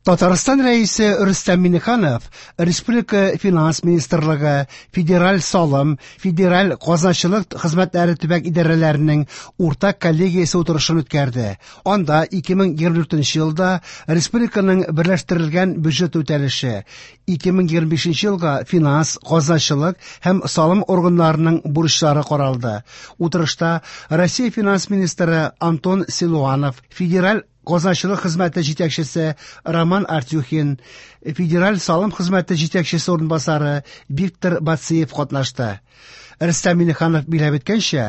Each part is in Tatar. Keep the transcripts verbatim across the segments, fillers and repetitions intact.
Татарстан Рәисе Рөстәм Миңнеханов Республика Финанс министрлыгы, Федераль салым, Федераль казначылык хезмәтләре төбәк идарәләренең уртак коллегиясе утырышын үткәрде. Анда ике мең егерме дүртенче елда республиканың берләштерелгән бюджеты үтәлеше, ике мең егерме бишенче елга финанс, казначылык һәм салым органнарының бурычлары каралды. Утырышта Россия финанс министры Антон Силуанов, Федераль казначылык хезмәте җитәкчесе Роман Артюхин, Федераль салым хезмәте җитәкчесе урынбасары Виктор Бациев катнашты. Рөстәм Миңнеханов билгеләп үткәнчә,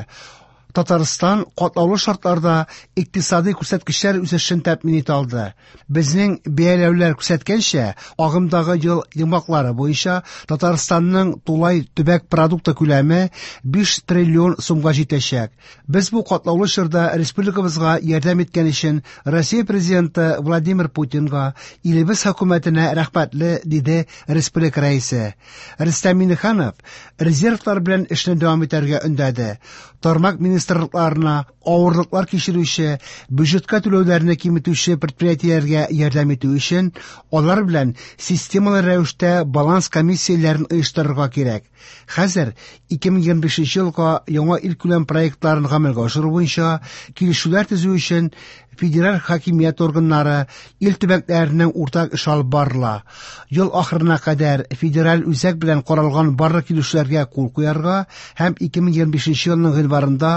Татарстан катлаулы шартларда икътисади күрсәткечләр үсешен тәэмин итә алды. Безнең бәяләүләр күрсәткәнчә, агымдагы ел йомгаклары буенча Татарстанның тулай төбәк продукты күләме биш триллион сумга җитәчәк. Без бу катлаулы чорда республикабызга ярдәм иткән өчен Россия президенты Владимир Путинга, илебез хөкүмәтенә рәхмәтле, диде республика рәисе. Рөстәм Миңнеханов резервлар белән эшне дәвам итәргә өндәде. Тармак министрлыкларына авырлыклар кичерүче, бюджетка түләүләрне киметүче предприятиеләргә ярдәм итү өчен алар белән системалы рәвештә баланс комиссияләрен оештырырга кирәк. Хәзер ике мең егерме бишенче елга яңа илкүләм проектларын гамәлгә ашыру буенча килешүләр төзү өчен федераль хакимият органнары ил төбәкләренең уртак эш алып барыла. Ел ахырына кадәр федераль үзәк белән каралган барлык килешүләргә кул куярга һәм ике мең егерме бишенче елның гыйнварында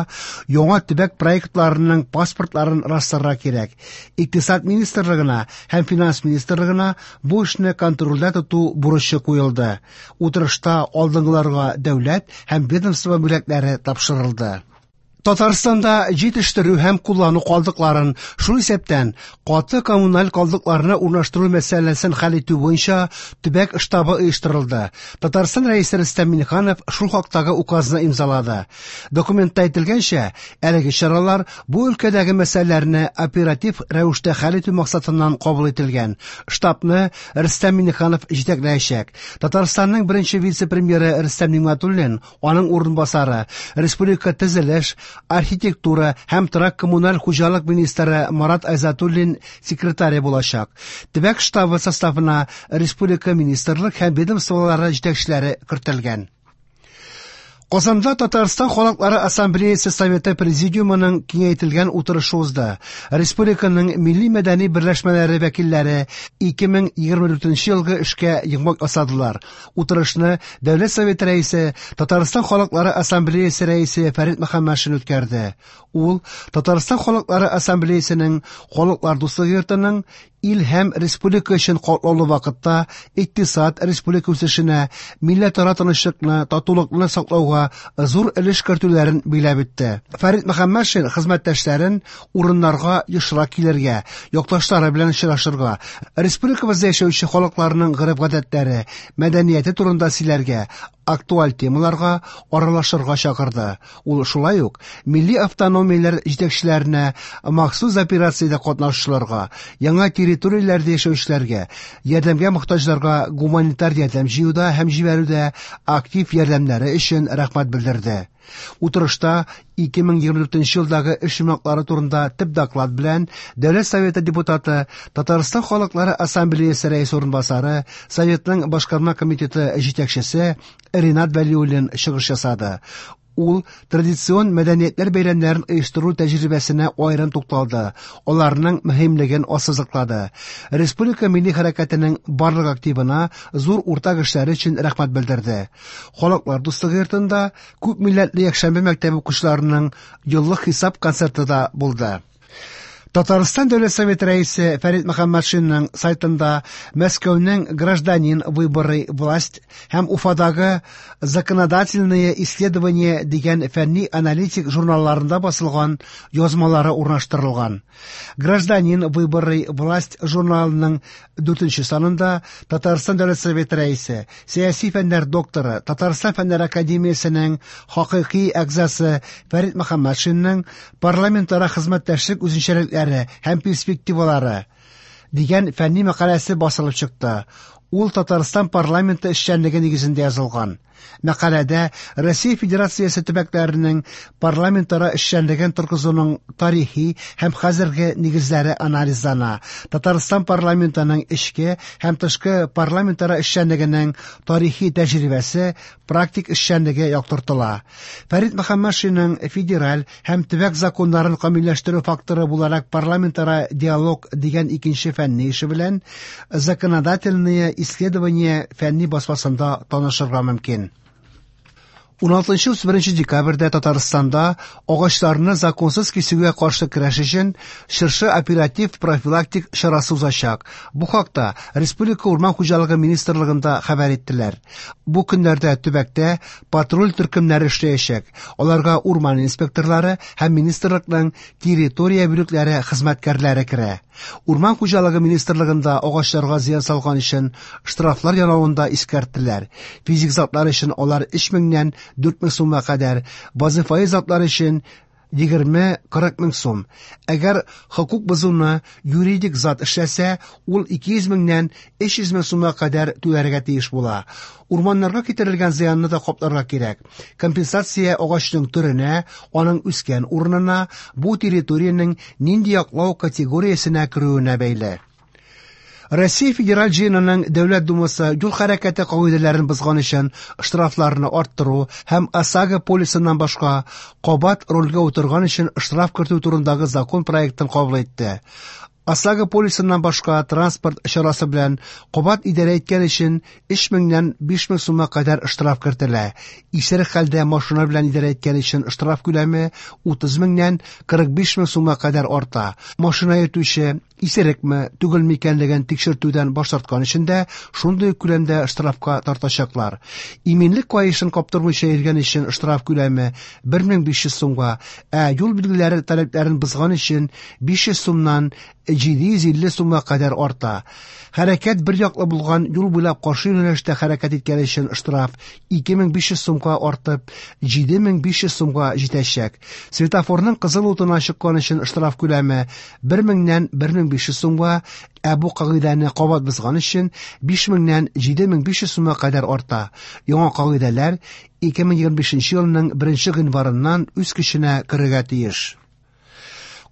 яңа төбәк проектларының паспортларын расларга кирәк. Икътисад министрлыгына һәм финанс министрлыгына бу эшне контрольдә тоту бурычы куелды. Утырышта алдынгыларга дәүләт һәм ведомство бүләкләре тапшырылды. Татарстанда җитештерү һәм куллану калдыкларын, шул исәптән каты коммуналь калдыкларны урнаштыру мәсьәләсен хәл итү буенча төбәк штабы оештырылды. Татарстан Рәисе Рөстәм Миңнеханов шул хактагы указны имзалады. Документта әйтелгәнчә, әлеге чаралар бу өлкәдәге мәсьәләләрне оператив рәвештә хәл итү максатыннан кабул ителгән. Штабны Рөстәм Миңнеханов җитәкләячәк. Татарстанның беренче вице-премьеры Рөстәм Нигъмәтуллин, аның урынбасары, республика төзелеш, архитектура һәм торак коммуналь хуҗалык министры Марат Айзатуллин секретаре булачак. Төбәк штабы составына республика министрлык һәм ведомстволары җитәкчеләре кертелгән. Казанда Татарстан Халыклары Ассамблеясы Советы Президиумының киңәйтелгән утырышы узды. Республиканың милли мәдәни берләшмәләре вәкилләре ике мең егерме дүртенче елгы эшкә йомгак ясадылар. Утырышны Дәүләт Советы рәисе, Татарстан Халыклары Ассамблеясы рәисе Фәрит Мөхәммәтшин үткәрде. Ул Татарстан Халыклары Ассамблеясының Халыклар дуслыгы йортының ил һәм республика өчен катлаулы вакытта икътисад республика үсешенә, милләтара тынычлыкны, татулыкны саклауга зур өлеш кертүләрен билгеләп үтте. Фәрит Мөхәммәтшин хезмәттәшләрен урыннарга ешрак килергә, якташлары белән очрашырга, республикабызда яшәүче халыкларның гореф-гадәтләре, мәдәнияте турында сөйләргә, актуаль темаларга аралашырга чакырды. Ул шулай ук милли автономияләр җитәкчеләренә, махсус операциядә катнашучыларга, яңа территорияләрдә яшәүчеләргә, ярдәмгә мохтаҗларга гуманитар ярдәм җыюда һәм җибәрүдә актив ярдәмнәре өчен рәхмәт белдерде. Утырышта ике мең егерме дүртенче елдагы эш йомгаклары турында төп доклад белән Дәүләт Советы депутаты, Татарстан Халыклары Ассамблеясы рәисе урынбасары, Советның башкарма комитеты җитәкчесе Ринат Вәлиуллин чыгыш ясады. Ул традицион мәдәниятләр бәйрәмнәрен оештыру тәҗрибәсенә аерым тукталды, аларның мөһимлеген ассызыклады. Республика милли хәрәкәтенең барлык активына зур уртак эшләре өчен рәхмәт белдерде. Халыклар дуслыгы йортында күп милләтле якшәмбе мәктәбе укучыларының еллык хисап концерты да булды. Татарстан Дәүләт Советы рәисе Фәрит Мөхәммәтшинның сайтында Мәскәүнең Гражданин выборы власть һәм Уфадагы Законодательные исследования дигән фәнни аналитик журналларында басылган язмалары урнаштырылган. Гражданин выборы власть журналының дүртенче санында Татарстан Дәүләт Советы рәисе, сәяси фәннәр докторы, Татарстан Фәннәр Академиясенең хакыйкый әгъзасы Фәрит Мөхәммәтшинның парламентара хезмәттәшлек үзенчәлекләре һәм перспективалары дигән фәнни мәкаләсе басылып чыкты. Ул Татарстан парламенты эшчәнлеге нигезендә язылган. Мәкаләдә Россия Федерациясе төбәкләренең парламентара эшчәнлеген торгызуның тарихи һәм хәзерге нигезләре анализлана. Татарстан парламентының эчке һәм тышкы парламентара эшчәнлегенең тарихи тәҗрибәсе, практик эшчәнлеге яктыртыла. Фәрит Мөхәммәтшинның федераль һәм төбәк законнарын камилләштерү факторы буларак парламентара диалог дигән икенче фәнни эше белән «Законодательные исследования» фәнни басмасында танышырга мөмкин. уналтынчы-утыз беренче декабрьдә Татарстанда агачларны законсыз кисүгә каршы көрәш өчен Чыршы оператив профилактик чарасы узачак. Бу хакта Республика Урман хуҗалыгы министрлыгында хәбәр иттеләр. Бу көннәрдә төбәктә патруль төркемнәре эшләячәк. Аларга урман инспекторлары һәм министрлыкның территория бүлекләре хезмәткәрләре керә. Урман хуҗалыгы министрлыгында агачларга зыян салган өчен штрафлар янавын да искәрттеләр. Физик затлар өчен алар өч меңнән дүрт мең сумга кадәр, вазифаи затлар өчен егерме кырык мең сум. Әгәр хокук бозуны юридик зат эшләсә, ул ике йөз меңнән өч йөз мең сумга кадәр түләргә тиеш була. Урманнарга китерелгән зыянны да капларга кирәк. Компенсация агачның төренә, аның үскән урынына, бу территориянең нинди яклау категориясенә керүенә бәйле. Россия Федераль Җыенының Дәүләт Думасы юл хәрәкәте кагыйдәләрен бозган өчен штрафларны арттыру һәм ОСАГО полисыннан башка кабат рульгә утырган өчен штраф кертү турындагы закон проектын кабул итте. ОСАГО полисыннан башка транспорт чарасы белән кабат идарә иткән өчен өч меңнән биш мең сумга кадәр штраф кертелә. Исерек хәлдә машина белән идарә иткән өчен штраф күләме утыз меңнән кырык биш мең сумга кадәр арта. Машина йөртүче исерекме, түгелме икәнлеген тикшертүдән баш тарткан өчен дә шундый күләмдә штрафка тартачаклар. Иминлек каешын каптырмыйча йөргән өчен штраф күләме бер мең биш йөз сумга, ә юл билгеләре таләпләрен бозган өчен биш йөз сумнан җиде йөз илле сумга кадәр арта. Хәрәкәт бер яклы булган юл буйлап каршы юнәлештә хәрәкәт иткән өчен штраф ике мең биш йөз сумга артып җиде мең биш йөз сумга җитәчәк. Светофорның кызыл утына чыккан өчен штраф күләме бер меңнән бер мең биш йөз сумга, ә бу кагыйдәне кабат бозган өчен биш меңнән җиде мең биш йөз сумга кадәр арта. Яңа кагыйдәләр ике мең егерме бишенче елның беренче гыйнварыннан үз көченә керергә тиеш.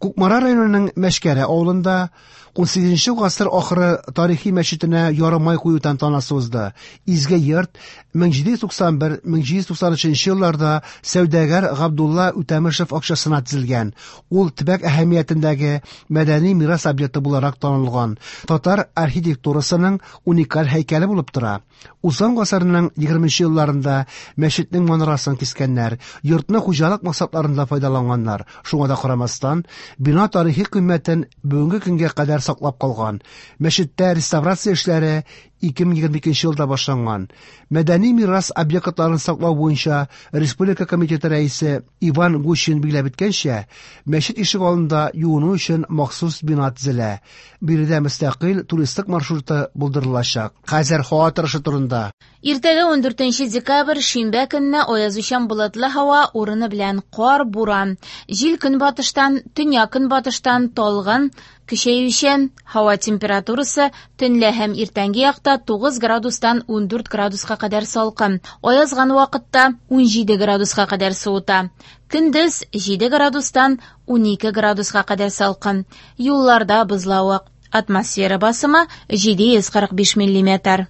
Кукмара районының Мәшкәрә авылында унсигезенче гасыр ахыры тарихи мәчетенә ярымай кую тантанасы узды. Изге йорт мең җиде йөз туксан бер, мең җиде йөз туксан өченче елларда сәүдәгәр Габдулла Үтәмешев акчасына төзелгән. Ул төбәк әһәмиятендәге мәдәни мирас объекты буларак танылган. Татар архитектурасының уникаль һәйкәле булып тора. Узган гасырның егерменче елларында мәчетнең манарасын кискәннәр, йортны хуҗалык максатларында файдаланганнар. Шуңа да карамастан, бина тарихи кыйммәтен бүгенге көнгә кадәр саклап калган. Мәчеттә реставрация эшләре ике мең егерме икенче елда башланган. Мәдәни мирас объектларын саклау буенча Республика комитеты рәисе Иван Гущин билгеләп үткәнчә, мәчет ишек алдында юыну өчен махсус бина төзелә. Биредә мөстәкыйль туристик маршруты булдырылачак. Хәзер һава торышы турында. Иртәгә ундүртенче декабрь шимбә көнне аязучан болытлы һава, урыны белән кар, буран. Җил көнбатыштан, төньяк көнбатыштан талгын, көчәючән. Һава температурасы төнлә һәм иртәнге якта тугыз градустан ундүрт градуска кадәр салкын. Аязган вакытта унҗиде градуска кадәр суыта. Көндез җиде градустан унике градуска кадәр салкын. Юлларда бозлавык. Атмосфера басымы җиде йөз кырык биш миллиметр.